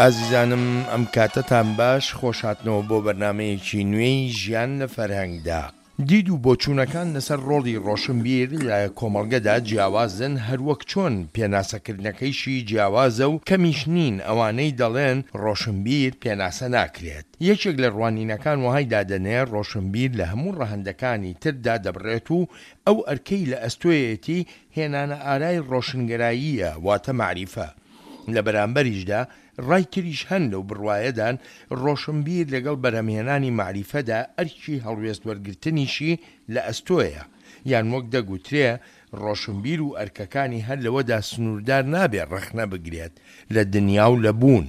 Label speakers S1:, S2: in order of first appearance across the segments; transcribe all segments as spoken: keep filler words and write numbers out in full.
S1: ئازیزانم ئەم کاتەتان باش، خۆشهاتنەوە بۆ بەرنامەیەکی نوێی ژیان لە فەرهەنگدا. دید و بۆچوونەکان لەسەر ڕۆڵی ڕۆشنبیر لە کۆمەڵگەدا جیاوازن، هەروەک چۆن پێناسەکردنەکەیشی جیاوازە و کەمیش نین ئەوانەی دەڵێن ڕۆشنبیر پێناسە ناکرێت. یەکێک لە ڕوانینەکان وەهای دادەنێ ڕۆشنبیر لە هەموو ڕەهەندەکانی تر دادەبڕێت و ئەو ئەرکەی لە ئەستۆیەتی هێنانە ئارای ڕۆشنگەراییە، واتە مەعریفە. لە بەرامبەریشدا ڕای تریش هەن لەو بڕوایەدان ڕۆشنبیر لەگەڵ بەرهەمهێنانی مەعریفەدا ئەرکی هەڵوێست وەرگرتنیشی لە ئەستۆیە، یان وەک دەگوترێ ڕۆشنبیر و ئەرکەکانی هەر لەوەدا سنووردار نابێ ڕەخنە بگرێت لە دنیا و لە بوون،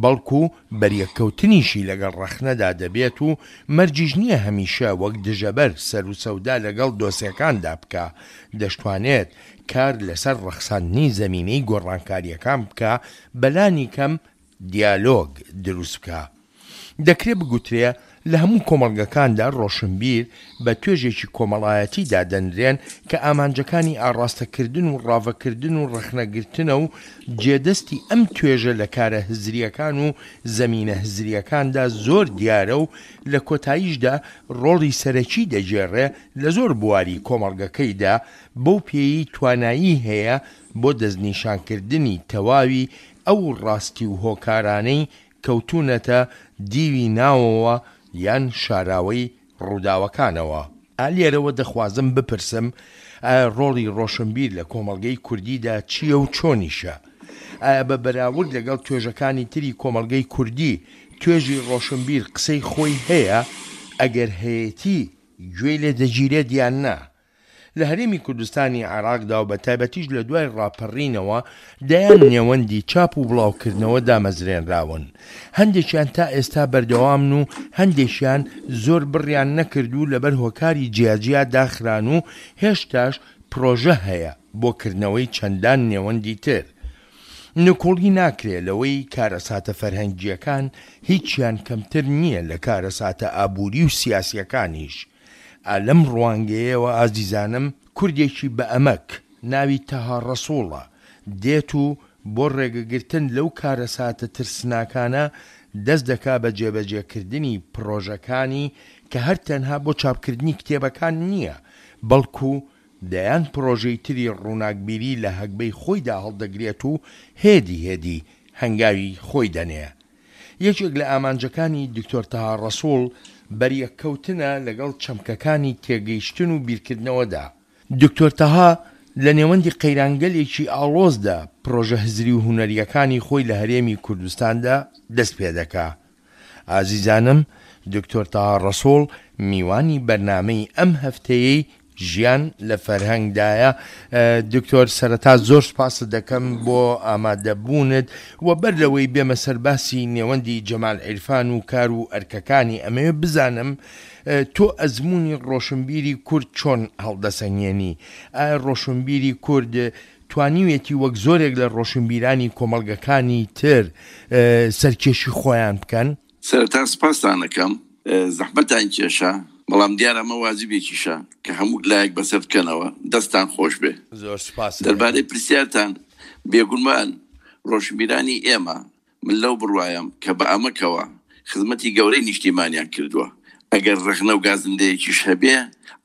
S1: بەڵکو بەریەککەوتنیشی لەگەڵ ڕەخنەدا دەبێت و مەرجیش نییە هەمیشە وەک دژەبەر سەروسەودا لەگەڵ دۆسێکاندا بکا، دەشتوانێت کار لەسەر ڕەخساندنی زەمینەی گۆڕانکارییەکان بکا، بەلانی کەم دیالۆگ دروست بکا. دەکرێ بگوترێ لە هەموو کۆمەڵگەکاندا ڕۆشنبیر بە توێژێکی کۆمەڵایەتی دادەنرێن کە ئامانجەکانی ئاڕاستەکردن و ڕاڤەکردن و ڕەخنەگرتنە و جێدەستی ئەم توێژە لە کارە هزرییەکان و زەمینە هزرییەکاندا زۆر دیارە و لە کۆتاییشدا ڕۆڵی سەرەکی دەگێڕێ لە زۆر بواری کۆمەڵگەکەیدا بەو پێیەی توانایی هەیە بۆ دەستنیشانکردنی تەواوی ئەو ڕاستی و هۆکارانەی کەوتوونەتە دیوی ناوەوە یان شاراوەی ڕووداوەکانەوە. ئا لێرەوە دەخوازم بپرسم ئایا ڕۆڵی ڕۆشنبیر لە کۆمەڵگەی کوردیدا چییە و چۆنیشە؟ ئایا بە بەراورد لەگەڵ توێژەکانی تری کۆمەڵگەی کوردی توێژی ڕۆشنبیر قسەی خۆی هەیە؟ ئەگەر هەیەتی گوێی لێ دەگیرێت یان نا؟ لە هەرێمی کوردستانی عێراقدا و بەتایبەتیش لە دوای ڕاپەڕینەوە دەیان نێوەندی چاپ و بڵاوکردنەوە دامەزرێنراون. هەندێکیان تا ئێستا بەردەوامن و هەندێکیان زۆر بڕیان نەکرد و لەبەر هۆکاری جیاجیا داخران و هێشتاش پرۆژە هەیە بۆ کردنەوەی چەندان نێوەندی تر. نکوڵی ناکرێ لەوەی کارەساتە فەرهەنگییەکان هیچیان کەمتر نییە لە کارەساتە ئابووری و سیاسییەکانیش. ئا لەم ڕوانگەیەوە ئازیزانم کوردێکی بە ئەمەک ناوی تەها ڕەسوڵە دێت و بۆ ڕێگەگرتن لەو کارەساتە ترسناکانە دەست دەکا بە جێبەجێکردنی پڕۆژەکانی کە هەر تەنها بۆ چاپکردنی کتێبەکان نییە بەڵکو دەیان پڕۆژەی تری ڕووناکبیری لە هەگبەی خۆیدا هەڵدەگرێت و هێدی هێدی هەنگاوی خۆی دەنێ. یەکێک لە ئامانجەکانی دکتۆر تەها ڕەسوڵ بەریەککەوتنە لەگەڵ چەمکەکانی تێگەیشتن و بیرکردنەوەدا. دکتۆر تەها لە نێوەندی قەیرانگەلێکی ئاڵۆزدا پڕۆژە هزری و هونەرییەکانی خۆی لە هەرێمی کوردستاندا دەست پێدەکا. ئازیزانم دکتۆر تەها ڕەسوڵ میوانی بەرنامەی ئەم هەفتەیەی ژیان لە فەرهەنگدایە. دکتۆر سەرەتا زۆر سپاست دەکەم بۆ ئامادەبوونت و بەر لەوەی بێمە سەر باسی نێوەندی جەمال عیرفان و کار و ئەرکەکانی ئەمەوێ بزانم تۆ ئەزموونی ڕۆشنبیری کورد چۆن هەڵدەسەنگێنی؟ ئایا ڕۆشنبیری کورد توانیویەتی وەک زۆرێک لە ڕۆشنبیرانی کۆمەڵگەکانی تر سەرکێشی خۆیان بکەن؟
S2: سەرەتا سپاستان ئەکەم، زەحمەتان کێشا، بەڵام دیارە ئەمە واجبێکیشە کە هەموو لایەک بەسەر بکەنەوە. دەستتان خۆش بێ.
S1: زۆر سپاست دەکەم.
S2: دەربارەی پرسیارتان، بێگومان ڕۆشنبیرانی ئێمە، من لەو بڕوایەم کە بە ئەمەکەوە خزمەتی گەورەی نیشتیمانیان کردووە. ئەگەر ڕەخنە و گازندەیەکیش هەبێ،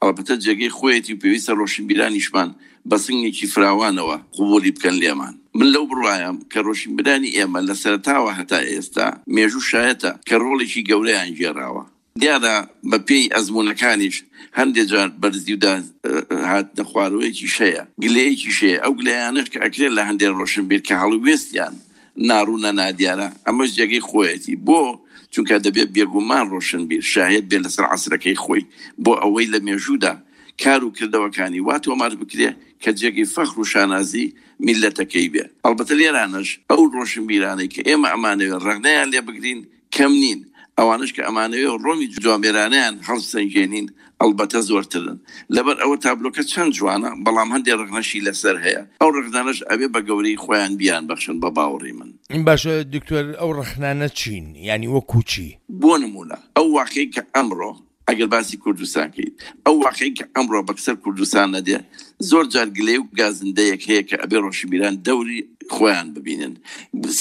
S2: ئەڵبەتە جێگەی خۆیەتی و پێویستە ڕۆشنبیرانیشمان بە سنگێکی فراوانەوە قبوڵی بکەن لێمان. من لەو بڕوایەم کە ڕۆشنبیرانی ئێمە لە سەرەتاوە هەتا ئێستا مێژوو شایەتە کە ڕۆڵێکی گەورەیان گێڕاوە. دیارە بە پێی ئەزموونەکانیش هەندێ جار بەرزی و هاتنە خوارەوەیەکیش هەیە، گلەیەکیش هەیە. ئەو گلەیانەش کە ئەکرێت لە هەندێ ڕۆشنبیر کە هەڵوێستیان ناڕوونە نادیارە، ئەمەش جێگەی خۆیەتی. بۆ؟ چونکە دەبێت بێگومان ڕۆشنبیر شاهێد بێت لەسەر عەسرەکەی خۆی بۆ ئەوەی لە مێژوودا کار و کردەوەکانی وا تۆمار بکرێ کە جێگەی فەخر و شانازی میللەتەکەی بێ. ئەڵبەتە لێرانەش ئەو ڕۆشنبیرانەی کە ئێمە ئەمانەوێ ڕەخنەیان لێ بگرین کەم نین، ئەوانەش کە ئەمانەوێ ڕۆمی جوامێرانەیان هەڵسەنگێنین ئەڵبەتە زۆرترن. لەبەر ئەوە تابلۆکە چەند جوانە بەڵام هەندێ ڕەخنەشی لەسەر هەیە، ئەو ڕەخنانەش ئەبێ بە گەورەی خۆیان بیانبەخشن بە باوەڕی من.
S1: باشە دکتۆر ئەو ڕەخنانە چین؟ یانی وەکوو چی؟
S2: بۆ نموونە ئەو واقعەی کە ئەمڕۆ ئەگەر باسی کوردستان کەیت، ئەو واقعی کە ئەمڕۆ بەکسەر کوردستان نەدێ، زۆر جار گلەی و گازندەیەک هەیە کە ئەبێ ڕۆشنبیران دەوری خۆیان ببینن.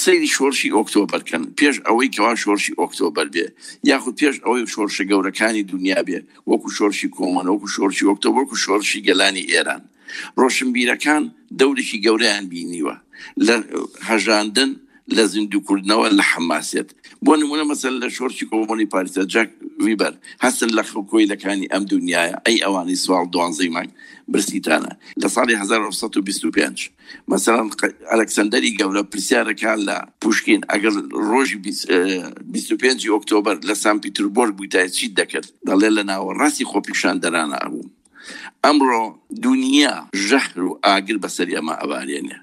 S2: سەیری شۆڕشی ئۆکتۆبەر کەن، پێش ئەوەی کەوا شۆڕشی ئۆکتۆبەر بێ یاخود پێش ئەوەی شۆڕشە گەورەکانی دنیا بێ، وەکو شۆڕشی کۆمۆن، وەکو شۆڕشی ئۆکتۆبەر، وەکو شۆڕشی گەلانی ئێران، ڕۆشنبیرەکان دەورێکی گەورەیان بینیوە لە هەژاندن، لە زیندووکردنەوە، لە حەماسێت. بۆ نمونە مەسەلەن لە شۆڕشی کۆمۆنی پاریسە جاک ویبەر هەستن لە کۆیلەکانی ئەم دنیاە، ئەی ئەوانەی سواڵ دوانزەی مانگ برسیتانە لە ساڵی هەزار و نۆ سەد و بیست و پێنج. مەسەلەن ئەلکسەندەری گەورە پرسیارەکان لە پوشکین ئەگەر ڕۆژی بیست و پێنجی ئۆکتۆبەر لە سان پیتربۆرگ بوویتایە چیت دەکرد؟ دەڵێ لە ناوەڕاستی خۆپیشاندەرانە ئەبوو. ئەمڕۆ دنیا ژەهر و ئاگر بەسەر ئێمە ئەبارێنێ.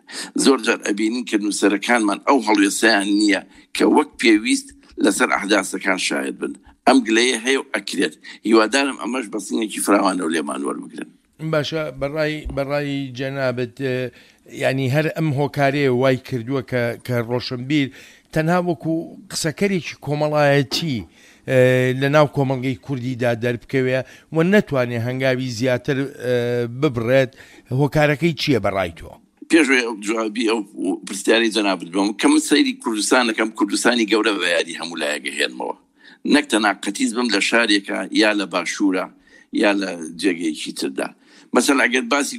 S2: زۆر جار ئەبینین کە نووسەرەکانمان ئەو هەڵوێستەیان نییە کە وەک پێویست لەسەر ئەحداسەکان شاهد بن. ئەم گلەیە هەیە و ئەکرێت. هیوادارم ئەمەش بەسینێکی فراوانەوە لێمان وەربگرن.
S1: باشە، بەڕای بەڕای جەنابت ینی هەر ئەم هۆکارەیە وای کردووە کە کە ڕۆشنبیر تەنها وەکو قسەکەرێکی کۆمەڵایەتی لە ناو کۆمەڵگەی کوردیدا دەربکەوێ و نەتوانێت هەنگاوی زیاتر ببڕێت، هۆکارەکەی چییە بەڕای تۆ؟
S2: پێشوەی ئەو جوابی ئەو پرسیاری جەنابت بم کە من سەیری کوردستانەکەم، کوردستانی گەورە بە یادی هەموو لایەکە هێنمەوە، نەک تەنها قەتیز بم لە شارێکە یا لە باشوورە یا لە جێگەیەکی تردا. مەسەلەن ئەگەر باسی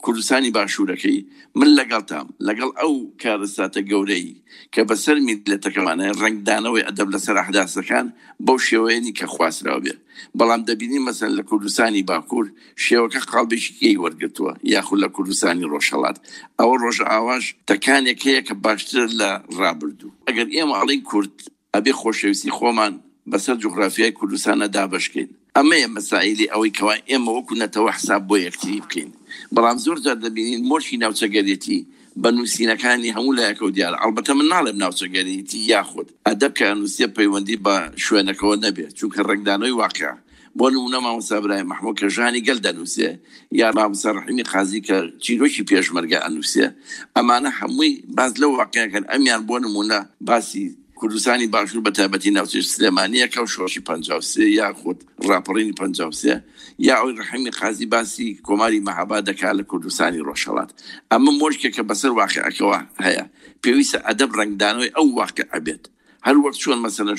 S2: کوردستانی باشوورەکەی، من لەگەڵتام لەگەڵ ئەو کارەساتە گەورەی کە بەسەر میللەتەکەمانە، ڕەنگدانەوەی ئەدەب لەسەر ئەحداسەکان بەو شێوەیەنی کە خواستراو بێ. بەڵام دەبینی مەسەلەن لە کوردستانی باکوور شێوەکە قاڵبێکی کێی وەرگرتووە، یاخود لە کوردستانی ڕۆژهەڵات. ئەوە ڕۆژئاواش تەکانێک هەیە کە باشترە لە ڕابردوو. ئەگەر ئێمە ئەڵێین کورد، ئەبێ خۆشەویستی خۆمان بەسەر جوغرافیای کوردستانە دابەشکەین. ئەمەیە مەسائلی ئەوەی کەوا ئێمە وەکو نەتەوە حساب بۆ یەکتری بکەین. بەڵام زۆر جار دەبینین مۆرکی ناوچەگەرێتی بە نووسینەکانی هەموو لایەکەوە دیارە. ئەڵبەتە من ناڵێم ناوچەگەرێتی یاخود ئەدەب کە نووسیە پەیوەندی بە شوێنەکەوە نەبێت، چونکە ڕەنگدانەوەی واقع. بۆ نمونە مامۆستا برایم مەحموود کە ژانی گەل دەنووسێ، یا مامۆستا ڕەحیمی قازی کە چیرۆکی پێشمەرگە ئەنووسێ، ئەمانە هەمووی باس لەو واقعەکەن. ئەمیان بۆ نمونە باسی کوردستانی باشوور بە تایبەتی ناوچەی سلێمانیەکە و شۆڕشی پەنجا و سێ یاخود ڕاپەڕینی پەنجا و سێ، یا ئەوەی ڕەحیمی قازی باسی کۆماری مەهاباد دەکات لە کوردستانی ڕۆژهەڵات. ئەمە مۆرکێکە بەسەر واقعەکەوە هەیە. پێویستە ئەدەب ڕەنگدانەوەی ئەو واقعە بێت. هەر وەک چۆن مەسەلەن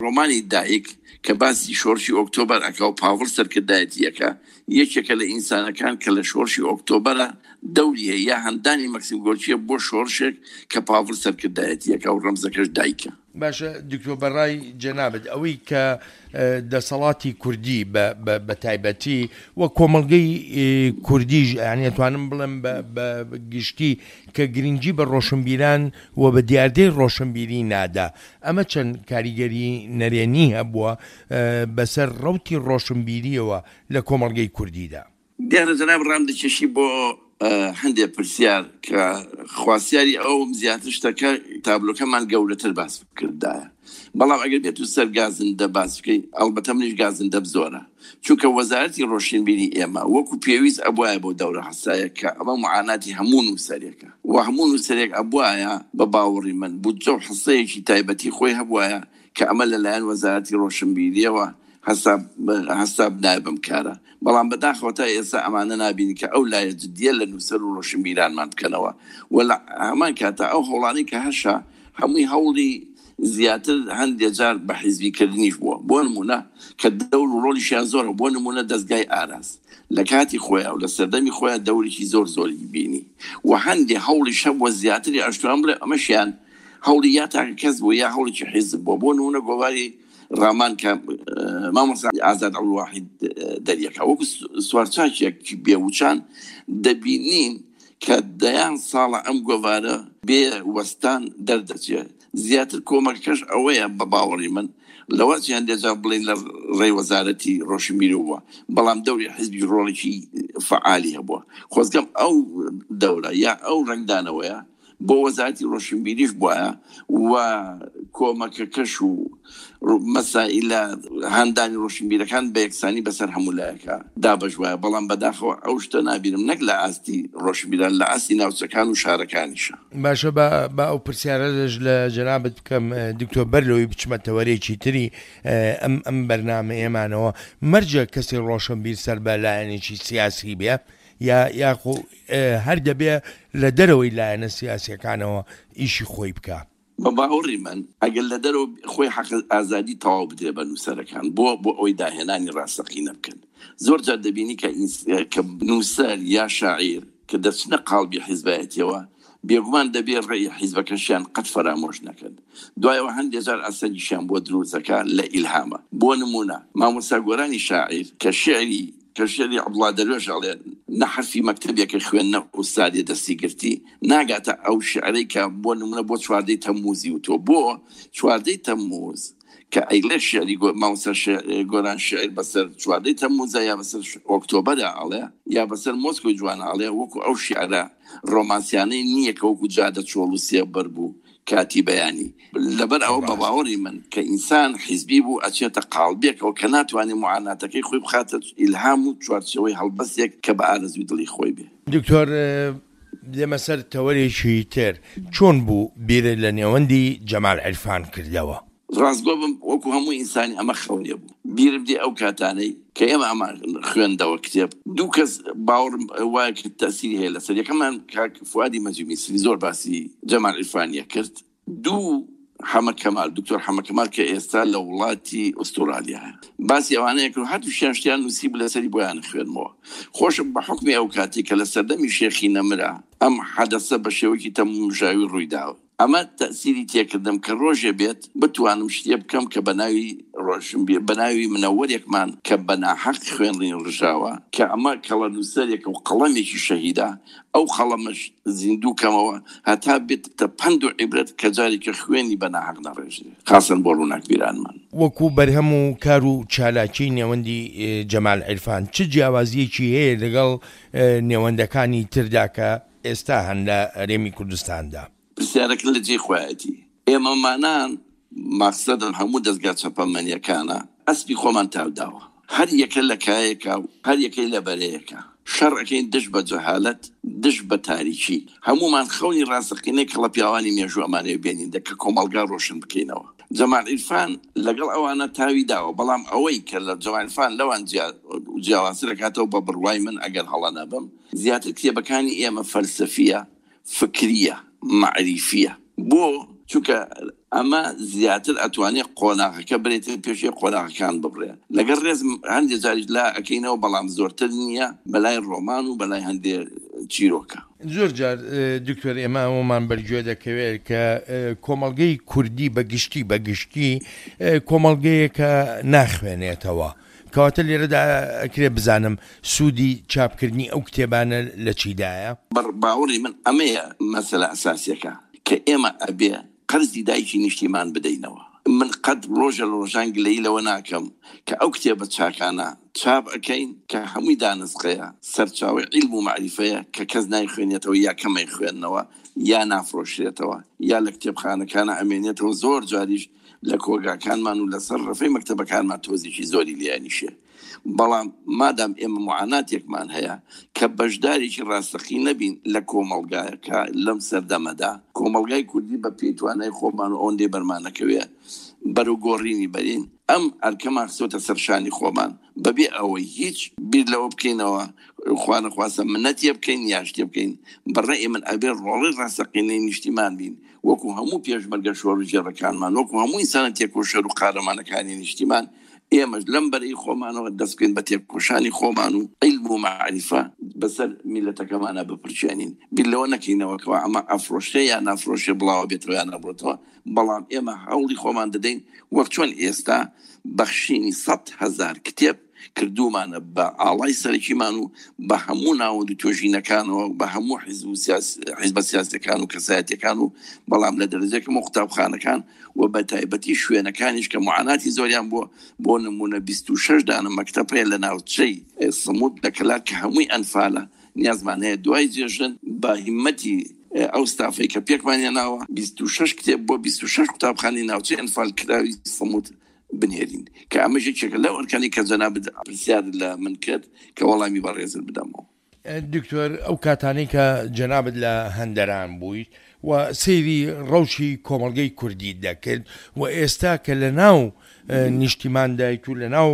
S2: ڕۆمانی دایک کە باسی شۆڕشی ئۆکتۆبەر ئەکا و پاڤڵ سەرکردایەتیەکە، یەکێکە لە ئینسانەکان کە لە شۆڕشی ئۆکتۆبەرە دەوری هەیە، یا هەندانی مەکسیم گۆرکیە بۆ شۆڕشێک کە پاڤڵ سەرکردایەتیەکە و ڕەمزەکەش دایکە.
S1: باشە دکتۆر، بەڕای جەنابت ئەوەی کە دەسەڵاتی کوردی بە تایبەتی و کۆمەڵگەی کوردیش، یعنی ئەتوانم بڵێم بە گشتی کە گرنگی بە ڕۆشنبیران و بە دیاردەی ڕۆشنبیری نادا، ئەمە چەند کاریگەری نەرێنی هەبووە بەسەر ڕەوتی ڕۆشنبیریەوە لە کۆمەڵگەی کوردیدا؟
S2: دیارە جەناب ڕام دەکێشی بۆ هەندێک پرسیار کە خواسیاری ئەوم زیاتر شتەکە تابلۆکەمان گەورەتر باس بکردایە. بەڵام ئەگەر بێت و سەر گازندە باس بکەین، ئەڵبەتە منیش گازندەم زۆرە، چونکە وەزارەتی ڕۆشنبیری ئێمە وەکو پێویست ئەبوایە بۆ دەورە حەسایە کە ئەمە معاناتی هەموو نووسەرێکە و هەموو نووسەرێک ئەبوایە بە باوەڕی من بودجە و حسەیەکی تایبەتی خۆی هەبوایە کە ئەمە لەلایەن وەزارەتی ڕۆشنبیریەوە حساب نایە بەم کارە. بەڵام بەداخەوە تا ئێستا ئەمانە نابینی کە ئەو لایە جدیە لە نووسەر و ڕۆشنبیرانمان بکەنەوە و لە هەمان کاتە ئەو هەوڵانەی کە هەشە هەمووی هەوڵی زیاتر هەندێک جار بە حیزبیکردنیش بووە. بۆ نمونە کە دەور و ڕۆڵیشیان زۆرە، بۆ نمونە دەستگای ئاراس لە کاتی خۆیان و لە سەردەمی خۆیان دەورێکی زۆر زۆری بینی و هەندێک هەوڵی شەبووە زیاتری ئەشتوان بڵێ ئەمەشیان هەوڵی یا تاکە کەس بوو یا هەوڵێکی حیزب بووە. بۆ نمونە گۆواری ڕامان کە مامۆستا ئازاد عەبدولواحید دەریەکە وەکو سوارچاکێک بێوچان دەبینین کە دەیان ساڵە ئەم گۆوارە بێ وەستان دەردەچێت. زیاتر کۆمەکەش ئەوەیە بە باوەڕی من لەوە چی هەندێک جار بڵێن لە ڕێی وەزارەتی ڕۆشنبیری بووە، بەڵام دەوری حیزبی ڕۆڵێکی فەعالی هەبووە. خۆزگەم ئەو دەورە یا ئەو ڕەنگدانەوەیە بۆ وەزارەتی ڕۆشنبیریش بووایە و کۆمەکەکەش و مەسائلە هاندانی ڕۆشنبیرەکان بە یەکسانی بەسەر هەموو لایەکە دابەش وایە. بەڵام بەداخەوە ئەو شتە نابینم نەک لە ئاستی ڕۆشنبیران، لە ئاستی ناوچەکان و شارەکانیشە.
S1: باشە، با ئەو پرسیارەش لە جەنابت بکەم دکتۆر، بەر لەوەی بچمە تەوەرێکی تری ئەم ئەم بەرنامەیەمانەوە، مەرجە کەسی ڕۆشنبیر سەر بە لایەنێکی سیاسی بێ یا یاخۆ هەر دەبێ لە دەرەوەی لایەنە سیاسیەکانەوە ئیشی خۆی بکە؟
S2: بە باوەڕی من ئەگەر لە دەرەوە خۆی حەق ئازادی تەواو بدرێ بە نووسەرەکان بۆ بۆ ئەوەی داهێنانی ڕاستەقینە بکەن. زۆر جار دەبینی کە نووسەر یا شاعیر کە دەچنە قاڵبی حیزبایەتیەوە، بێگومان دەبێ ڕێی حیزبەکەشیان قەت فەرامۆش نەکەن. دوایەوە هەندێک جار ئەسەنگیشیان بۆ دروستەکە لە ئیلهامە. بۆ نمونە مامۆستا گۆرانی شاعیر کە شعری کە شعری عەبدوڵڵا دەروێش ئەڵێ نە حەرفی مەکتەبێکە خوێندنە ئوستادێ دەستی گرتی، ناگاتە ئەو شعرەی کە بۆ نمونە بۆ چواردەی تەمموزی وتووە. بۆ چواردەی تەمموز کە ئەیڵێ شعری مامۆستا گۆران شعر بەسەر چواردەی تەمموزە یا بەسەر ئۆکتۆبەرە ئەڵێ یا بەسەر مۆسکۆی جوانە ئەڵێ، وەکو ئەو شعرە ڕۆمانسیانەی نییە کە وەکو جادە چۆڵ و سێبەر بوو کاتی بەیانی. لەبەر ئەوە بە باوەڕی من کە ئینسان حیزبی بوو ئەچێتە قاڵبێکەوە کە ناتوانێت معاناتەکەی خۆی بخاتە ئیلهام و چوارچێوەی هەڵبەستێک کە بە ئارەزووی دڵی خۆی بێ.
S1: دکتۆر، دێمە سەر تەوەرێکی تر، چۆن بوو بیرت لە نێوەندی جەمال عیرفان کردەوە؟
S2: ڕاستگۆ بم وەکو هەموو ئینسانی ئەمە خەونێ بوو. بیرم دێ ئەو کاتانەی کە ئێمە ئەمە خوێندەوە کتێب، دوو کەس باوەڕم وایە کە تەسیری هەیە لەسەر. یەکەمان کاک فوادی مەجید میسری زۆر باسی جەمال عیرفانیە کرد. دوو حەمە کەمال، دکتۆر حەمە کەمال کە ئێستا لە وڵاتی ئوسترالیا باسی ئەوانەیە کرد، هەردووشیان شتیان نووسی بوو لەسەری بۆیان خوێنمەوە. خۆشم بە حوکمی ئەو کاتی کە لە سەردەمی شێخی نەمرا ئەم حەدەسە بە شێوەیەکی تەمومژاوی ڕوویداوە، ئەمە تەسیری تێکردم کە ڕۆژێ بێت بتوانم شتێ بکەم کە بەناوی ڕۆشنبیر، بەناوی منەوەرێکمان کە بەناحەق خوێنڕین ڕژاوە، کە ئەمە کەڵە نووسەرێکە و قەڵەمێکی شەهیدە، ئەو قەڵەمەش زیندوو کەمەوە هەتا بێتە پەند و عیبرەت کە جارێکە خوێنی بەناحەق نەڕێژێ، خاصن بۆ ڕووناکبیرانمان.
S1: وەکو بەرهەم و کار و چالاکی نێوەندی جەمال عیرفان چ جیاوازیەکی هەیە لەگەڵ نێوەندەکانی تردا کە ئێستا هەن لە هەرێمی کوردستاندا؟
S2: پرسیارەکە لە جێی خۆیەتی. ئێمەمانان مەقسەدم هەموو دەستگا چەپەمەنیەکانە ئەسپی خۆمان تاوداوە، هەر یەکە لە کایەکە و هەر یەکەی لە بەرەیەکە. شەڕەکەین دژ بە جەهالەت، دژ بە تاریکی. هەمومان خەونی ڕاستەقینەی کەڵە پیاوانی مێژوو ئەمانەیە بێنین دە کە کۆمەڵگا ڕۆشن بکەینەوە. جەمال عیرفان لەگەڵ ئەوانە تاوی داوە، بەڵام ئەوەی کە لە جەمال عیرفان لەوان جیاوازتر دەکاتەوە بە بڕوای من ئەگەر هەڵە نەبم، زیاتر کتێبەکانی ئێمە فەلسەفیە، فکریە، معریفیە. بۆ چونکە ئەمە زیاتر ئەتوانێت قۆناغەکە برێتە پێشێ قۆناغەکان ببڕێ. لەگەڵ ڕێز هەندێک جاریش لا ئەکەینەوە، بەڵام زۆرتر نییە بەلای ڕۆمان و بەلای هەندێک چیرۆکە.
S1: زۆر جار دکتۆر ئێمە ئەومان بەرگوێ دەکەوێت کە کۆمەڵگەی کوردی بەگشتی بەگشتی کۆمەڵگەیەکە ناخوێنێتەوە. کەواتە لێرەدا ئەکرێ بزانم سوودی چاپکردنی ئەو کتێبانە لە چیدایە؟
S2: باوەڕی من ئەمەیە مەسەلە ئەساسیەکە کە ئێمە ئەبێ قەرزی دایکی نیشتیمان بدەینەوە. من قەت ڕۆژە لە ڕۆژان گلەیی لەوە ناکەم کە ئەو کتێبە چاکانە چاپ ئەکەین کە هەمووی دانسقەیە، سەرچاوەی عیلم و مەعریفەیە کە کەس نایخوێنێتەوە یا کەمەی خوێندنەوە یا نافرۆشرێتەوە یا لە کتێبخانەکانە ئەمێنێتەوە. زۆر جاریش لە کۆگاکانمان و لەسەر ڕەفەی مەکتەبەکانمان تۆزێکی زۆری لێیانیشێ. بەڵام مادام ئێمە معاناتێکمان هەیە کە بەشدارێکی ڕاستەقی نەبین لە کۆمەڵگایەکە لەم سەردەمەدا، کۆمەڵگای کوردی بە پێی توانای خۆمان و ئەوەندەی بەرمانەکەوێ بەرەو گۆڕینی بەرین، ئەم ئەرکەمان خستۆتە سەرشانی خۆمان بەبێ ئەوەی هیچ بیر لەوە بکەینەوە خوانەخواستە منەتیە بکەین یا شتێ بکەین. بەڕێ من ئەبێ ڕۆڵی ڕاستەقینەی نیشتیمان بین، وەکو هەموو پێشمەرگە شۆڕژێڕەکانمان، وەکو هەموو ئینسانە تێکۆشەر و قارەمانەکانی نیشتیمان، ئێمەش لەم بەرەی خۆمانەوە دەست بکەین بە تێکۆشانی خۆمان و عیلم و مەعریفە بەسەر میلەتەکەمانە بپرچێنین. بیر لەوە نەکەینەوە کەوا ئەمە ئەفرۆشێ یا نافرۆشێ بڵاوە بێتەوە یا نەبڕێتەوە، بەڵام ئێمە هەوڵی خۆمان دەدەین وەک چۆن ئێستا بەخشینی سەد هەزار کتێب کردومانە بە ئاڵای سەرەکیمان و بە هەموو ناوەند و توێژینەکانەوە بە هەموو حیزب و حیزبە سیاسیەکان و کەسایەتیەکان و بەڵام لە دەرەجەکەم و قوتابخانەکان و بە تایبەتی شوێنەکانیش کە معاناتی زۆریان بووە. بۆ نمونە بیست و شەش دانە مەکتەب هەیە لە ناوچەی سموت لە کەلار کە هەمووی ئەنفالە. نیازمان هەیە دوای جێژن بە هیمەتی ئەو ستافەی کە پێکمانیان ناوە بیست و شەش کتێب بۆ بیست و شەش قوتابخانەی ناوچەی ئەنفالکراوی سەموت بنێرین، کە ئەمەش یەکێکە لەو ئەرکانەی کە جەنابت پرسیار لە من کرد کە وەڵامی بەڕێزت بدەمەوە.
S1: دکتۆر، ئەو کاتانەی کە جەنابت لە هەندەران بوویت و سەیری ڕەوشی کۆمەڵگەی کوردی دەکرد و ئێستا کە لە ناو نیشتیماندایت و لە ناو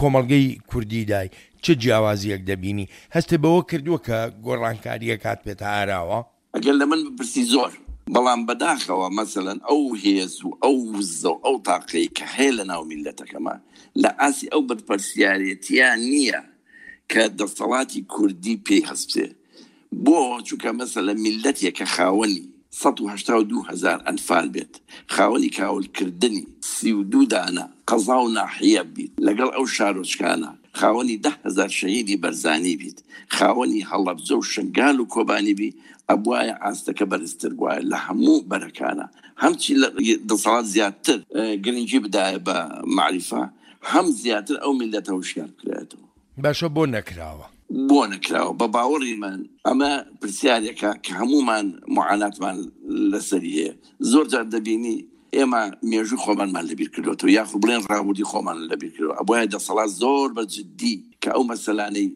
S1: کۆمەڵگەی کوردیدای، چ جیاوازیەک دەبینی؟ هەستێ بەوە کردووە کە گۆڕانکاریەک هات پێتە ئاراوە؟
S2: ئەگەر لە من بپرسی زۆر، بەڵام بەداخەوە مەسەلەن ئەو هێز و ئەو وزە و ئەو تاقەی کە هەیە لە ناو میللەتەکەمە لە ئاسی ئەو بەرپرسیارێتیان نییە کە دەسەڵاتی کوردی پێی هەستێ. بۆ چونکە مەسەلەن میللەتێک کە خاوەنی سەد و هەشتا و دوو هەزار ئەنفال بێت، خاوەنی کاولکردنی سی و دوو دانە قەزا و ناحیە بیت، لەگەڵ ئەو شارۆچکانە خاوەنی ده هەزار شەهیدی بەرزانی بیت، خاوەنی هەڵەبجە و شنگال و کۆبانی بی، ئەبوایە ئاستەکە بەرزتر بوایە لە هەموو بەرەکانە. هەمچی لە دەسەڵات زیاتر گرنگی بدایە بە معریفە، هەم زیاتر ئەو میللەتە هۆشیار بکرێتەوە.
S1: باشە بۆ نەکراوە؟
S2: بۆ نەکراوە بە باوەڕی من ئەمە پرسیارێکە کە هەمومان معاناتمان لەسەری هەیە. زۆر جار دەبینی ئێمە مێژوو خۆمانمان لەبیر کردوێتەوە، یاخود بڵێن ڕابردووی خۆمان لەبیر کردووە. ئەبوایە دەسەڵات زۆر بە جدی کە ئەو مەسەلانەی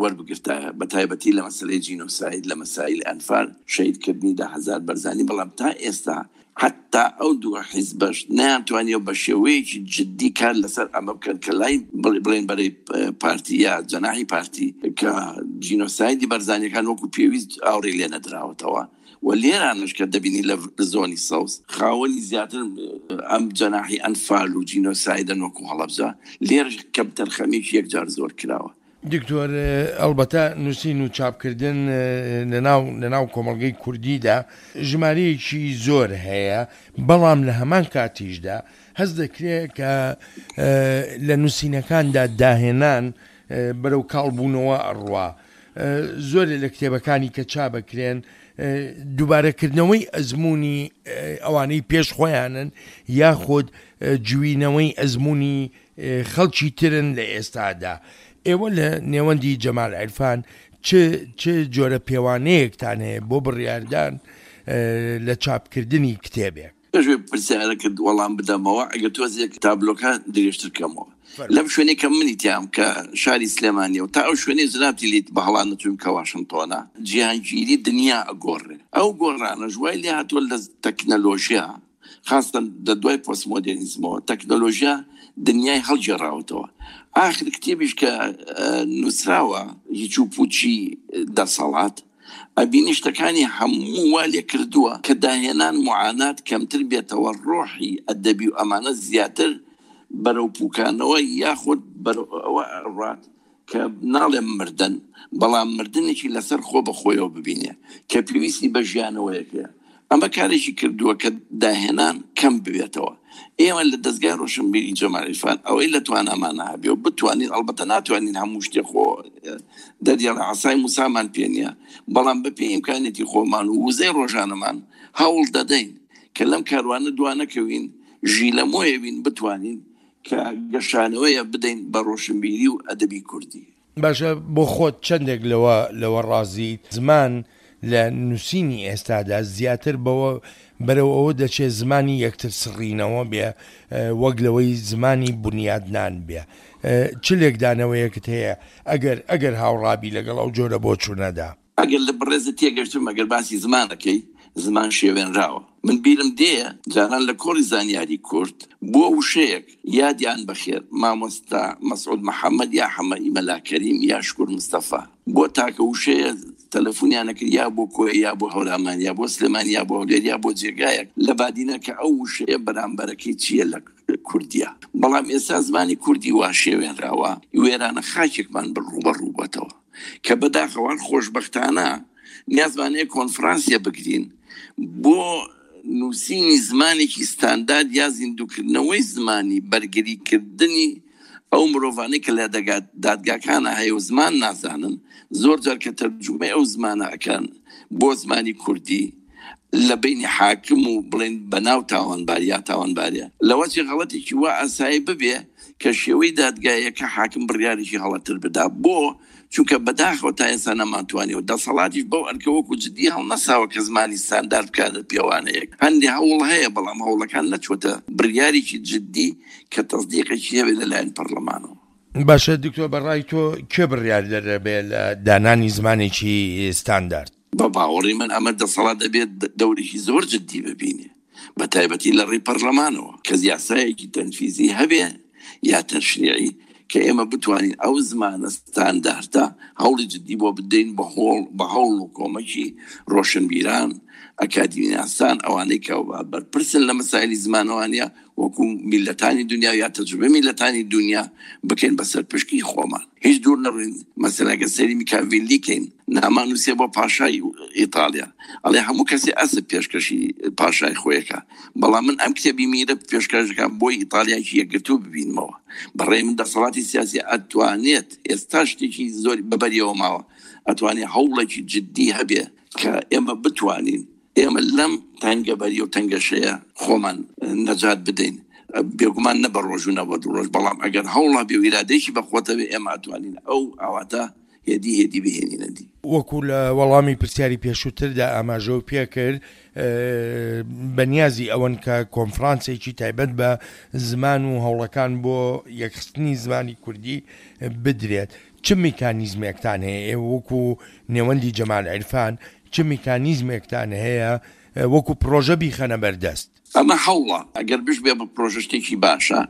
S2: وەربگرتایە، بە تایبەتی لە مەسەلەی جینۆساید، لە مەسایل ئەنفال، شەهیدکردنی ده هەزار بەرزانی. بەڵام تا ئێستا حتی ئەو دوو حیزبەش نەیانتوانیەوە بە شێوەیەکی جدی کار لەسەر ئەمە بکەن کە لای بڵێن بەرەی پارتی یا جەناحی پارتی کە جینۆسایدی بەرزانیەکان وەکو پێویست ئاوڕی لێ نەدراوەتەوە. و لێرانش کە دەبینی لە زۆنی سەوز خاوەنی زیاتر ئەم جەناحی ئەنفال و جینۆسایدن وەکو هەڵەبجە، لێرەش کەمتەرخەمیەکی یەکجار زۆر کراوە.
S1: دکتۆر، ئەلبەتە نووسین و چاپکردن لەناو لەناو کۆمەڵگەی کوردیدا ژمارەیەکی زۆر هەیە، بەڵام لە هەمان کاتیشدا هەست دەکرێت کە لە نووسینەکاندا داهێنان بەرەو کاڵبوونەوە ئەڕوا. زۆرێ لە کتێبەکانی کە چاپەکرێن دووبارەکردنەوەی ئەزمموی ئەوانەی پێش خۆیانن یاخود جوینەوەی ئەزمموی خەڵکی ترن لە ئێستادا. ئێوە لە نێوەندی جەمال عیرفان چ چ جۆرە پێوانەیەکتان هەیە بۆ بڕیاردان لە چاپکردنی کتێبێک؟
S2: پێش پرسیارە کرد وەڵام بدەمەوە، ئەگەر تۆزێک تابلۆکە درێژتر کەمەوە. لەم شوێنەی کە منی تیام کە شاری سلێمانیە و تا ئەو شوێنەی جنابتی لیت بە هەڵان نەچووم کە واشنگتۆنە، جیهانگیری دنیا ئەگۆڕێ. ئەو گۆڕانەش وای لێ هاتووە لە تەکنەلۆژیا، خاستەن لە دوای پۆستمۆدێرنیزمەوە تەکنەلۆژیا دنیای هەڵگێڕاوەتەوە. ئاخر کتێبیش کە نووسراوە هیچ و پوچی دەسەڵات، ئەبینی شتەکانی هەموو وا لێ کردووە کە داهێنان معانات کەمتر بێتەوە، ڕۆحی ئەدەبی و ئەمانە زیاتر بەرەو پوکانەوە یاخود بەرەو ئەوە ڕات کە ناڵێم مردن، بەڵام مردنێکی لەسەر خۆ بە خۆیەوە ببینێ کە پێویستی بە ژیانەوەیەکەیە. ئەمە کارێکی کردووە کە داهێنان کەم ببێتەوە. ئێمە لە دەستگای ڕۆشنبیری جەمال عیرفان ئەوەی لە توانامانە هەبێ و بتوانین، ئەلبەتە ناتوانین هەموو شتێ خۆ دەریاڵە عەسای موسامان پێ نییە، بەڵام بەپێی ئیمکانێتی خۆمان و وزەی ڕۆژانەمان هەوڵ دەدەین کە لەم کاروانە دوا نەکەوین، ژیلەمۆیە بین بتوانین کە گەشانەوەیە بدەین بە ڕۆشنبیری و ئەدەبی کوردی.
S1: باشە، بۆ خۆت چەندێک لەوە لەوە ڕازیت زمان لە نووسینی ئێستادا زیاتر بەوە بەرەو ئەوە دەچێت زمانی یەکتر سڕینەوە بێ وەک لەوەی زمانی بنیادنان بێ؟ چ لێکدانەوەیەکت هەیە ئەگەر ئەگەر هاوڕابی لەگەڵ ئەو جۆرە بۆچوونەدا؟
S2: ئەگەر لە بەڕێزت تێگەشتم، ئەگەر باسی زمانەکەی، زمان شێوێنراوە. من بیرم دێ جاران لە کۆڕی زانیاری کورد بۆ وشەیەک یادیان بەخێر مامۆستا مەسعود محەممەد یا حەمەی مەلا کەریم یا شکور مستەفا بۆ تاکە وشەیە تەلەفۆنیان نەکرد، یا بۆ کۆیە یا بۆ هەورامان یا بۆ سلێمانی یا بۆ هەولێر یا بۆ جێگایەک لە بادینە کە ئەو وشەیە بەرامبەرەکەی چییە لە کوردیە. بەڵام ئێستا زمانی کوردی وا شێوێنراوە، وێرانە خاکێکمان ڕووبەڕوو بۆتەوە کە بەداخەوان خۆشبەختانە نیازمانەیە کۆنفرانسیە بگرین بۆ نووسینی زمانێکی ستاندارد یا زیندووکردنەوەی زمانی بەرگریکردنی ئەو مرۆڤانەی کە لە دادگاکانە هەیە و زمان نازانن. زۆر جار کە تەرجومەی ئەو زمانە ئەکەن بۆ زمانی کوردی لە بینی حاکم و بڵێن بەناو تاوانبار یا تاوانباریە، لەوەچی غەڵەتێکی وا ئاسایی ببێ کە شێوەی دادگایەکە حاکم بڕیارێکی هەڵەتر بدا. بۆ چونکە بەداخەوە تا ئێستا نەمانتوانی و دەسەڵاتیش بەو ئەرکە وەکو جدی هەڵنەساوە کە زمانی ستاندارد بکاتە پێوانەیەک. هەندێ هەوڵ هەیە، بەڵام هەوڵەکان نەچووەتە بڕیارێکی جدی کە تەصدیقێکی هەبێت لەلایەن پەرلەمانەوە.
S1: باشە دکتۆر، بەڕای تۆ کێ بڕیار دەبێت لە دانانی زمانێکی ستاندارد؟
S2: بە باوەڕی من ئەمە دەسەڵات دەبێت دەورێکی زۆر جدی ببینێ، بە تایبەتی لە ڕێی پەرلەمانەوە کە یاسایەکی تەنفیزی هەبێ یا تەشریعی کە ئێمە بتوانین ئەو زمانە ستانداردە هەوڵی جدی بۆ بدەین بە هەوڵ و کۆمەکی ڕۆشنبیران، ئەکادیمیناسان، ئەوانەی کە بەرپرسن لە مەسایلی زمانەوانیە وەکو میلەتانی دنیا یا تەجروبەی میلەتانی دنیا بکەین بەسەر پشکی خۆمان. هیچ دوور نەڕین، مەسەلەن ئەگەر سەیری میکاڤیلی کەین، نامانووسێ بۆ پاشای ئیتالیا، ئەڵێ هەموو کەسی ئەسپ پێشکەشی پاشای خۆیەکە، بەڵام من ئەم کتێبی میرە پێشکەشەکەم بۆی ئیتالیایەکی یەکگرتوو ببینمەوە. بەڕێی من دەسەڵاتی سیاسی ئەتوانێت ئێستا شتێکی زۆری بەبەریەوە ماوە، ئەتوانێت هەوڵێکی جدی هەبێ کە ئێمە بتوانین ئێمە لەم تەنگەبەری و تەنگەشەیە خۆمان نەجات بدەین. بێگومان نە بە ڕۆژ و نە بە دوو ڕۆژ، بەڵام ئەگەر هەوڵا بێ و ئیرادەیەکی بەخۆتە بێ ئێمە ئەتوانین ئەو ئاواتە هێدی هێدی بهێنینە دی.
S1: وەکو لە وەڵامی پرسیاری پێشووتردا ئاماژە و پێکرد، بەنیازی ئەوەن کە کۆنفرانسێکی تایبەت بە زمان و هەوڵەکان بۆ یەکخستنی زمانی کوردی بدرێت. چ میکانیزمێکتان هەیە ئێوە وەکو نێوەندی جەمال عیرفان؟ چ میکانیزمێکتان هەیە وەکو پرۆژە بیخەنە بەردەست؟
S2: ئەمە هەوڵە، ئەگەر بشبێ بە پرۆژە شتێکی باشە،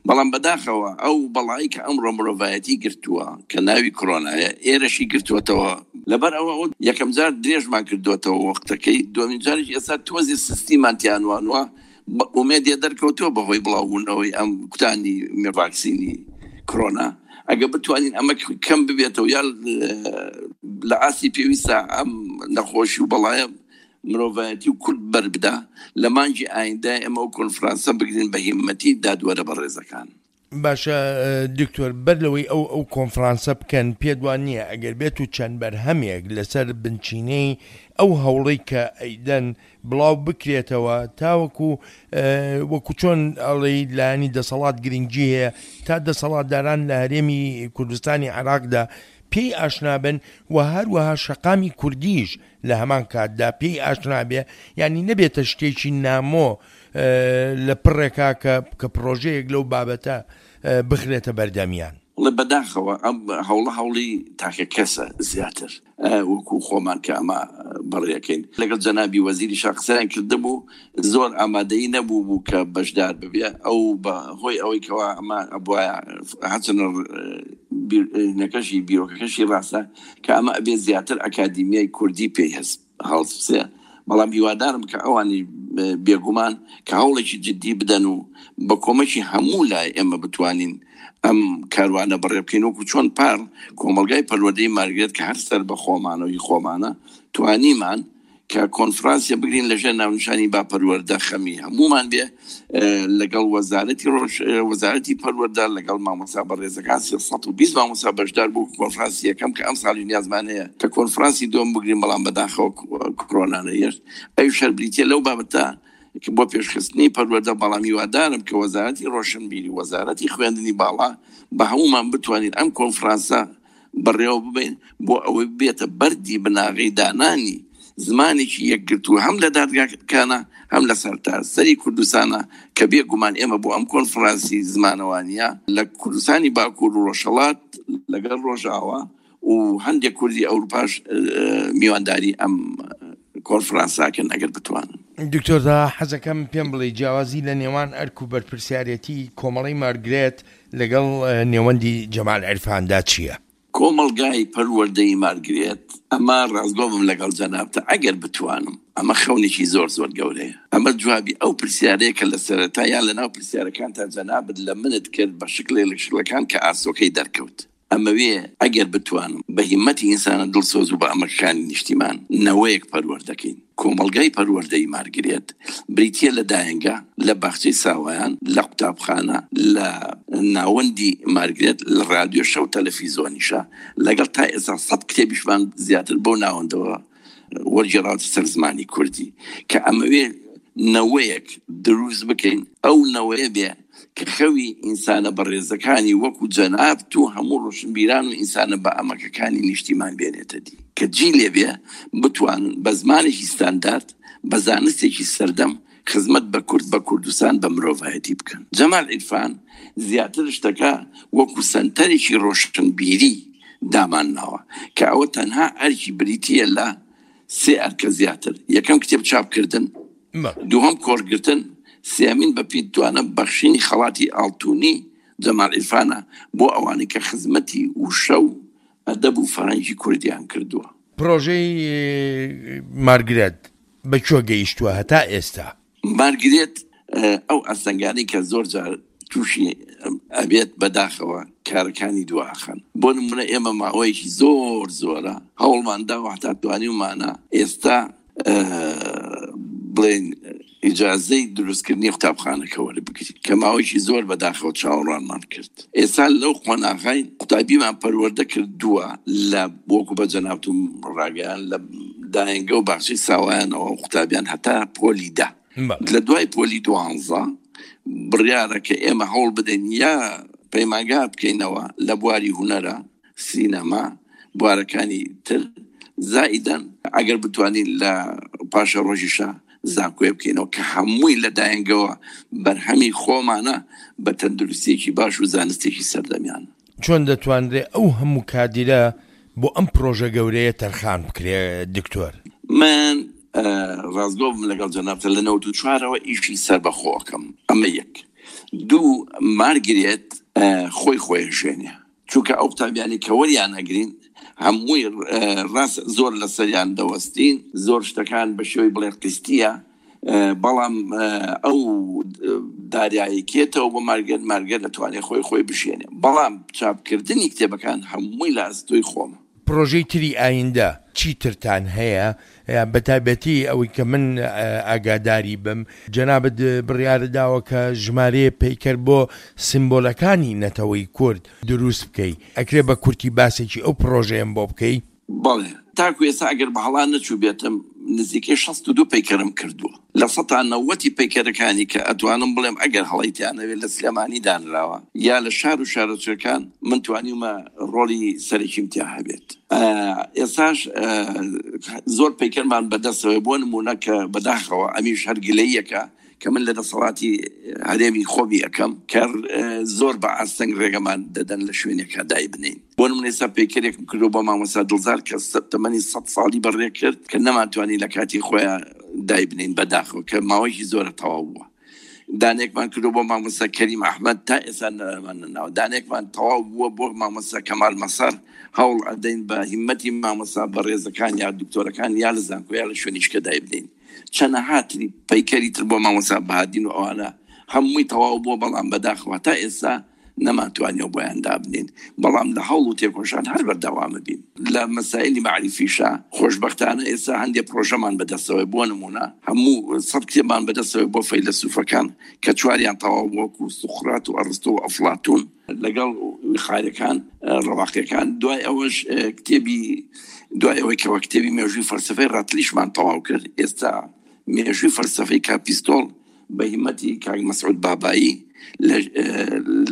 S2: بەڵام بەداخەوە ئەو بەڵایی کە ئەمڕۆ مرۆڤایەتی گرتووە کە ناوی کۆرۆنایە ئێرەشی گرتووەتەوە، لەبەر ئەوە یەکەم جار درێژمان کردووەتەوە وەختەکەی، دووەمین جاریش ئێستا تۆزی سیستیمان تیانوانوە ئومێدیە دەرکەوتووە بەهۆی بڵاوبوونەوەی ئەم کوتانی ڤاکسینی کۆرۆنا. ئەگەر بتوانین ئەمە کەم ببێتەوە یا لە ئاستی پێویستە ئەم نەخۆشی و بەڵایە مرۆڤایەتی و کورد بەربدا، لە مانگی ئایندە ئێمە ئەو کۆنفرانسە بگرین بە هیمەتی دادوەرە بەڕێزەکان.
S1: باشە دکتۆر، بەر لەوەی ئەو ئەو کۆنفرانسە بکەن، پێت وان نییە ئەگەر بێت و چەند بەرهەمێک لەسەر بنچینەی ئەو هەوڵەی کە ئەیدەن بڵاو بکرێتەوە تاوەکو وەکو چۆن ئەڵێی لایەنی دەسەڵات گرنگی هەیە تا دەسەڵاتداران لە هەرێمی کوردستانی عێراقدا پێی ئاشنا بن و هەروەها شەقامی کوردیش لە هەمان کاتدا پێی ئاشنا بێ، یعنی نەبێتە شتێکی نامۆ لە پڕێکا کە پرۆژەیەک لەو بابەتە بخرێتە بەردەمیان؟
S2: وڵێ بەداخەوە ئەم هەوڵە هەوڵی تاکە کەسە زیاتر وەکو خۆمان کە ئەمە بەڕێەکەین. لەگەڵ جەنابی وەزیری شا قسەیان کردبوو، زۆر ئامادەیی نەبوو بوو کە بەشدار ببێ. ئەو بە هۆی ئەوەی کەوا ئەمە ئەبوایە هەچەنە نەکەشی بیرۆکەکەشی ڕاستە کە ئەمە ئەبێ زیاتر ئەکادیمیای کوردی پێی هەست هەڵسێ، بەڵام هیوادارم کە ئەوانی بێگومان کە هەوڵێکی جدی بدەن و بە کۆمەکی هەموو لای ئێمە بتوانین ئەم کاروانە بەڕێ بکەین. وەکو چۆن پار کۆمەلگای پەروەردەی مارگرێت کە هەر سەر بە خۆمانەوەی خۆمانە توانیمان کە کۆنفرانسیە بگرین لەژێر ناونیشانی با پەروەردە خەمی هەمومان بێ، لەگەڵ وەزارەتی وەزارەتی پەروەردە، لەگەڵ مامۆستا بەڕێزەکان سێ سەد و بیست مامۆستا بەشدار بوو کۆنفرانسی یەکەم کە ئەم ساڵی نیازمان هەیە کە کۆنفرانسی دووەم بگرین، بەڵام بەداخەوە کۆرۆنا نەهێشت. ئەویش هەر بریتیە لەو بابەتە بۆ پێشخستنی پەروەردە، بەڵام هیوادارم کە وەزارەتی ڕۆشنبیری، وەزارەتی خوێندنی باڵا بە هەمومان بتوانین ئەم کۆنفرانسە بەڕێوە ببین بۆ ئەوەی بێتە بەردی بناغەی دانانی زمانێکی یەکگرتوو هەم لە دادگاکانە هەم لە سەرتاسەری کوردستانە، کە بێگومان ئێمە بۆ ئەم کۆنفرانسی زمانەوانیە لە کوردستانی باکوور و ڕۆژهەڵات لەگەڵ ڕۆژاوا و هەندێک کوردی ئەوروپاش میوانداری ئەم کۆنفرانساکەن ئەگەر بتوانن.
S1: دکتۆر حەزەکەم پێم بڵێ جیاوازی لە نێوان ئەرک و بەرپرسیارەتی کۆمەڵەی مارگرێت لەگەڵ نێوەندی جەمال عیرفاندا چییە؟
S2: کۆمەڵگای پەروەردەی مارگرێت، ئەمە ڕاستگۆ بم لەگەڵ جەنابتە ئەگەر بتوانم، ئەمە خەونێکی زۆر زۆر گەورەیە. ئەمە جوابی ئەو پرسیارەیە کە لە سەرەتا یان لەناو پرسیارەکان تا جەنابت لە منت کرد بە شکلێک لە شکلەکان کە ئاسۆکەی دەرکەوت. ئەمەوێ ئەگەر بتوانم بە هیمەتی ئینسانە دڵسۆز و بە ئەمەکانی نیشتیمان نەوەیەک پەروەردەکەین. کۆمەڵگای پەروەردەی مارگرێت بریتیە لە دایەنگە، لە باخچەی ساوایان، لە قوتابخانە، لە ناوەندی مارگرێت، لە رادیۆ شەو تەلەفیزۆنیشە، لەگەڵ تا ئێستا سەد کتێبیشمان زیاتر بەو ناوەندەوە وەرگێڕاوەتە سەر زمانی کوردی، کە ئەمەوێ نەوەیەک دروست بکەین ئەو نەوەیە بێ کە خەوی ئینسانە بەڕێزەکانی وەکو جەنابت و هەموو ڕۆشنبیران و ئینسانە بە ئەمەکەکانی نیشتیمان بێنێتە دی، کە جی لێبێ بتوانن بە زمانێکی ستاندارد بە زانستێکی سەردەم خزمەت بە کورد بە کوردستان بە مرۆڤایەتی بکەن. جەمال عیرفان زیاتر شتەکە وەکو سەنتەرێکی ڕۆشنبیری دامان ناوە کە ئەوە تەنها ئەرکی بریتیە لە سێ ئەرکە زیاتر، یەکەم کتێب چاپکردن، دووهەم کۆڕگرتن، سێمین بە پیتوانە بەخشینی خەڵاتی ئاڵتونی جەمال عیرفانە بۆ ئەوانەی کە خزمەتی وشە و ئەدەب و فەرهەنگی کوردیان کردووە.
S1: پرۆژەی مارگرێت بە کوێ گەیشتووە هەتا ئێستا؟
S2: مارگرێت ئەو ئاستەنگانەی کە زۆر جار تووشی ئەبێت بەداخەوە کارەکانی دواخەن. بۆ نمونە ئێمە ماوەیەکی زۆر زۆرە هەوڵمان داوە هەتا توانیومانە ئێستا بڵێن ئیجازەی دروستکردنی قوتابخانەکە وەربگرین کە ماوەیەکی زۆر بەداخەوە چاوەڕوانمان کرد. ئێستا لەو قۆناغای قوتابیمان پەروەردە کردووە لە وەکو بە جەنابتم ڕاگەیان لە داینگە و باخچەی ساوایانەوە قوتابیان هەتا پۆلی دە. لە دوای پۆلی دوانزە بڕیارە کە ئێمە هەوڵ بدەین یا پەیمانگا بکەینەوە لە بواری هونەرە، سینەما، بوارەکانی تر، زائیدەن ئەگەر بتوانین لە پاشە ڕۆژیشە زانکۆیە بکەینەوە کە هەمووی لە داینگەوە بەرهەمی خۆمانە بە تەندروستیەکی باش و زانستێکی سەردەمیان.
S1: چۆن دەتوانرێ ئەو هەموو کادیرە بۆ ئەم پرۆژە گەورەیە تەرخان بکرێ دکتۆر؟
S2: من ڕاستگۆ بم لەگەڵ جەنابتە لە نەوەد و چوارەوە ئیشی سەربەخۆکەم، ئەمە یەک. دوو، مارگرێت خۆی خۆی ژێنێ، چونکە ئەو قوتابیانی کە وەریان ئەگرین هەمووی ڕاست زۆر لەسەریان دەوەستین، زۆر شتەکان بە شێوەی بڵێ قیستیە، بەڵام ئەو داریایەکێتەوە بۆ مارگرێت، مارگرێت دەتوانێت خۆی خۆی بژێنێ. بەڵام چاپکردنی کتێبەکان هەمووی لە ئەستۆی خۆمە.
S1: پرۆژەی تری ئایندە چی ترتان هەیە؟ بە تایبەتی ئەوەی کە من ئاگاداری بم، جەنابت بڕیارە داوە کە ژمارەیە پەیکەر بۆ سیمبۆلەکانی نەتەوەی کورد دروست بکەی، ئەکرێ بە کورتی باسێکی ئەو پرۆژەیەم بۆ بکەی؟
S2: بەڵێ، تاکو ئێستا ئەگەر بە هەڵا نەچوو بێتم نزیکەی شەست و دوو پەیکەرم کردووە. لە سەتا نەوەتی پەیکەرەکانی کە ئەتوانم بڵێم ئەگەر هەڵەیتیانەوێت لە سلێمانی دانراوە یا لە شار و شارۆچکەکان من توانیومە ڕۆڵی سەرەکیم تیا هەبێت. ئێستاش زۆر پەیکەرمان بەدەستەوە، بۆ نمونە کە بەداخەوە ئەمیش هەر گلەیەکە کە من لە دەسەڵاتی هەرێمی خۆمی ئەەکەم کە زۆر بە ئاستەنگ ڕێگەمان دەدەن لە شوێنێکا دای بنین. بۆ نمونە ئێستا پەیکەرێکم کردو بۆ مامۆستا دڵزار کە تەمەنی سەد ساڵی بەڕێ کرد کە نەمانتوانی لە کاتی خۆیان دای بنین بەداخەوە کە ماوەیەکی زۆرە تەواو بووە. دانێکمان کردو بۆ مامۆستا کەریم ئەحمەد تا ئێستا نەمان نەناوە. دانێکمان تەواو بووە بۆ مامۆستا کەمال مەسەر، هەوڵ ئەدەین بە هیمەتی مامۆستا بەڕێزەکان یا دکتۆرەکان یا لە زانکۆ یا لە شوێنیشکە دای بنین. چەنەها تری پەیکەری تر بۆ مامۆستا بەهادین و ئەوانە هەمووی تەواو بووە، بەڵام بەداخەوە تا ئێستا نەمانتوانیەوە بۆیان دابنین. بەڵام لە هەوڵ و تێکۆشان هەر بەردەوامە بین. لە مەسایلی مەعریفیشا خۆشبەختانە ئێستا هەندێک پرۆژەمان بەدەستەوەی، بۆ نمونە هەموو سەد کتێبمان بەدەستەوەی بۆ فەیلەسوفەکان کە چواریان تەواو وەکو سوقرات و ئەرستۆ و ئەفلاتون لەگەڵ خارەکان ڕەواقیەکان. دوای ئەوەش کتێبی دوای ئەوەی کەەوە کتێبی مێژووی فەلسەفەی ڕاتلیشمان تەواو کرد، ئێستا مێژووی فەلسەفەی کاپیستۆڵ بە هیمەتی کاک مەسعود بابایی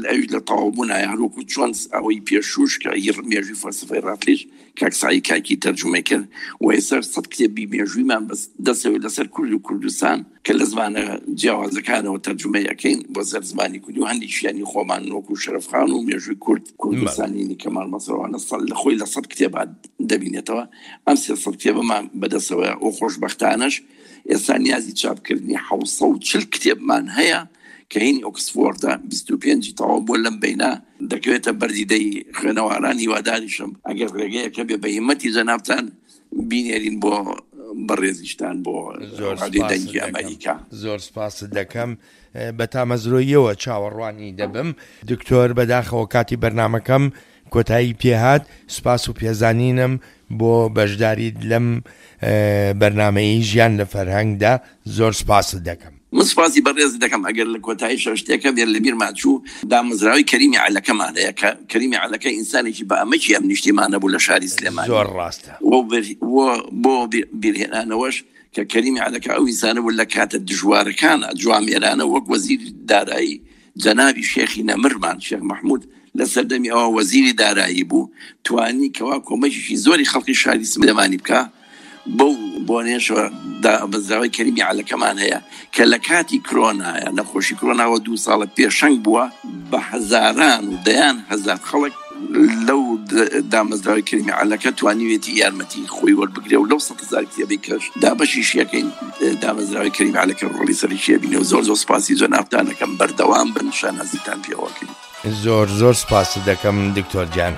S2: ئەویش لە تەواو بوونایە، هەروەکو چۆن ئەوەی پێشوش کە مێژووی فەلسەفەی ڕاتلیش کاک سعی کاکی تەرجومەی کرد و ئێستا سەد کتێبی مێژوویمان دەستەوە لەسەر کورد و کوردستان کە لە زمانە جیاوازەکانەوە تەرجومەی ئەەکەین بۆ سەر زمانی کوردی و هەندێکیانی خۆمان وەکو شەرەفخان و مێژووی کورد کوردستانی کەمال مەسەوانە لە خۆی لە سەد کتێبات دەبینێتەوە. ئەم سێ سەد کتێبەمان بەدەستەوە و خۆشبەختانەش ئێستا نیازی چاپکردنی حەوت سەد و چل کتێبمان هەیە کە هینی ئۆکسفۆردە بیست و پێنجی تەواو بۆ لەم بەینا دەکەوێتە بەردیدەی خوێنەواران. هیواداریشم ئەگەر ڕێگەیەکە بێ بە هیمەتی جەنابتان بینێرین بۆ بەڕێزیشتان بۆ ڕادیۆی دەنگی ئەمریکا.
S1: زۆر سپاست دەکەم، بە تامەزرۆییەوە چاوەڕوانی دەبم. دکتۆر بەداخەوە کاتی بەرنامەکەم کۆتایی پێهات. سپاس و پێزانینم بۆ بەشداریت لەم بەرنامەی ژیان لە فەرهەنگدا. زۆر سپاست دەکەم.
S2: من سپاسی بەڕێز دەکەم. ئەگەر لە کۆتایی شەشتێکە بێت لە بیرمان چوو دامەزراوی کەریمی عەلەکەمان هەیە کە کەریمی عەلەکە ئینسانێکی بە ئەمەکی ئەم نیشتیمانە بوو لە شاری سلێمانی.
S1: زۆر ڕاستە.
S2: بۆ بیرهێنانەوەش کە کەریمی عەلەکە ئەو ئینسانە بوو لە کاتە دژوارەکانە جوامێرانە وەک وەزیر دارایی جەنابی شێخی نەمرمان شێخ مەحمود لە سەردەمی ئەوە وەزیری دارایی بوو، توانی کەوا کۆمەکێکی زۆری خەڵکی شاری سلێمانی بکا. بەو بۆنەیەشەوە دامەزراوەی کەریمی عەلەکەمان هەیە کە لە کاتی کرۆنایە، نەخۆشی کرۆناوە دوو ساڵە پێشەنگ بووە، بە هەزاران و دەیان هەزار خەڵک لەو دامەزراوەی کەریمی عەلەکە توانیوێتی یارمەتی خۆی وەربگرێ و لەو سەد هەزار کتێبەی کەش دابەشیشیەکەین دامەزراوەی کەریمی عەلەکە ڕۆڵی سەرەکیە بینێ و زۆر زۆر سپاسی جەنابتان دەکەم. بەردەوام بن، شانازیتان پێوەکەین.
S1: زۆر زۆر سپاست دەکەم دکتۆر گیان.